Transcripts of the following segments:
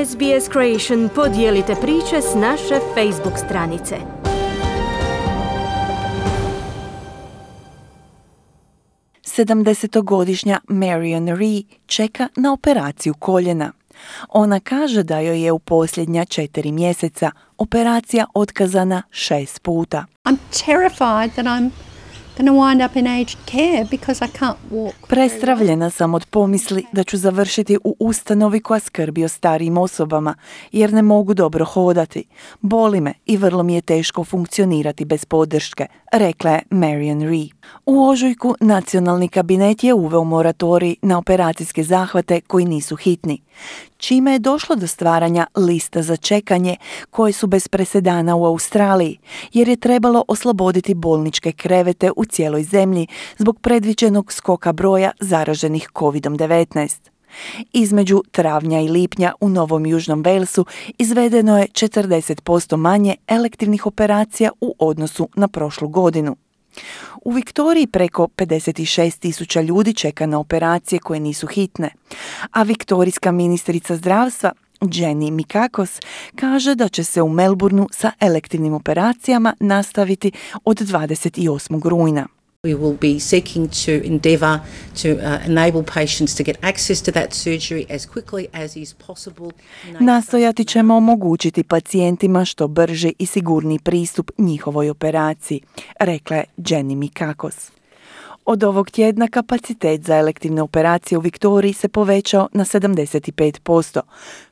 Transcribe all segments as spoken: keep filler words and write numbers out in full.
S B S Creation podijelite priče s naše Facebook stranice. sedamdesetogodišnja Marion Ree čeka na operaciju koljena. Ona kaže da joj je u posljednja četiri mjeseca operacija otkazana šest puta. I'm terrified that I'm going to wind up in aged care because I can't walk. Prestravljena sam od pomisli da ću završiti u ustanovi koja skrbi o starijim osobama, jer ne mogu dobro hodati. Boli me i vrlo mi je teško funkcionirati bez podrške, rekla je Marion Ree. U ožujku nacionalni kabinet je uveo moratorij na operacijske zahvate koji nisu hitni, čime je došlo do stvaranja lista za čekanje koje su bez presedana u Australiji, jer je trebalo osloboditi bolničke krevete u cijeloj zemlji zbog predviđenog skoka broja zaraženih covid devetnaest. Između travnja i lipnja u Novom Južnom Walesu izvedeno je četrdeset posto manje elektivnih operacija u odnosu na prošlu godinu. U Viktoriji preko pedeset šest tisuća ljudi čeka na operacije koje nisu hitne, a viktorijska ministrica zdravstva Jenny Mikakos kaže da će se u Melbourneu sa elektivnim operacijama nastaviti od dvadeset osmog rujna. We will be seeking to endeavour to uh, enable patients to get access to that surgery as quickly as is possible. Nastojati ćemo omogućiti pacijentima što brži i sigurniji pristup njihovoj operaciji, rekla je Jenny Mikakos. Od ovog tjedna kapacitet za elektivne operacije u Viktoriji se povećao na sedamdeset pet posto,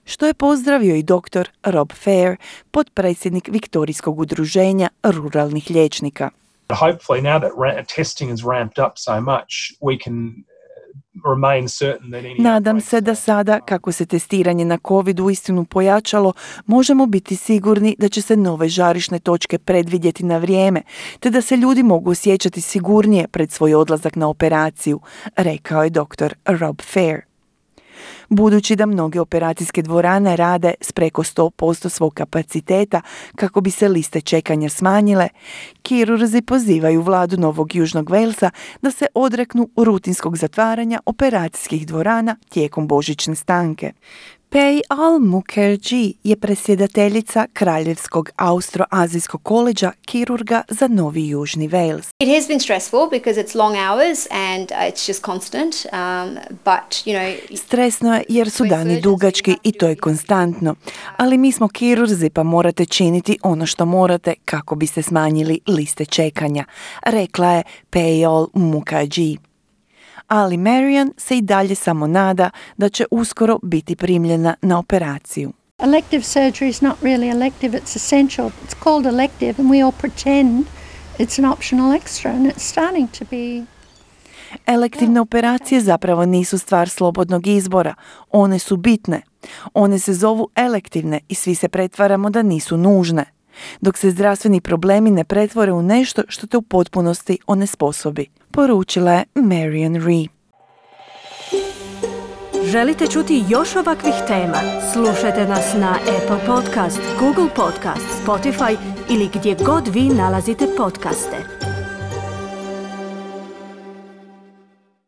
što je pozdravio i doktor Rob Fair, potpredsjednik Viktorijskog udruženja ruralnih liječnika. Hopefully now that ra- testing has ramped up so much, we can remain certain that any Nadam se da sada, kako se testiranje na COVID uistinu pojačalo, možemo biti sigurni da će se nove žarišne točke predvidjeti na vrijeme, te da se ljudi mogu osjećati sigurnije pred svoj odlazak na operaciju, rekao je doktor Rob Fair. Budući da mnoge operacijske dvorane rade s preko sto posto svog kapaciteta kako bi se liste čekanja smanjile, kirurzi pozivaju vladu Novog Južnog Walesa da se odreknu rutinskog zatvaranja operacijskih dvorana tijekom božićne stanke. Payal Mukherjee je predsjedateljica Kraljevskog Austro-Azijskog koleđa kirurga za Novi Južni Wales. It has been stressful because it's long hours and it's just constant, um, but you know... Stresno je jer su dani dugački i to je konstantno, ali mi smo kirurzi pa morate činiti ono što morate kako biste smanjili liste čekanja, rekla je Payal Mukherjee. Ali Marion se i dalje samo nada da će uskoro biti primljena na operaciju. Elective surgery is not really elective, it's essential. It's called elective and we all pretend it's an optional extra and it's starting to be... Elektivne operacije zapravo nisu stvar slobodnog izbora, one su bitne. One se zovu elektivne i svi se pretvaramo da nisu nužne, dok se zdravstveni problemi ne pretvore u nešto što te u potpunosti onesposobi, poručila je Marion Ree. Želite čuti još ovakvih tema? Slušajte nas na Apple Podcast, Google Podcast, Spotify ili gdje god vi nalazite podcaste.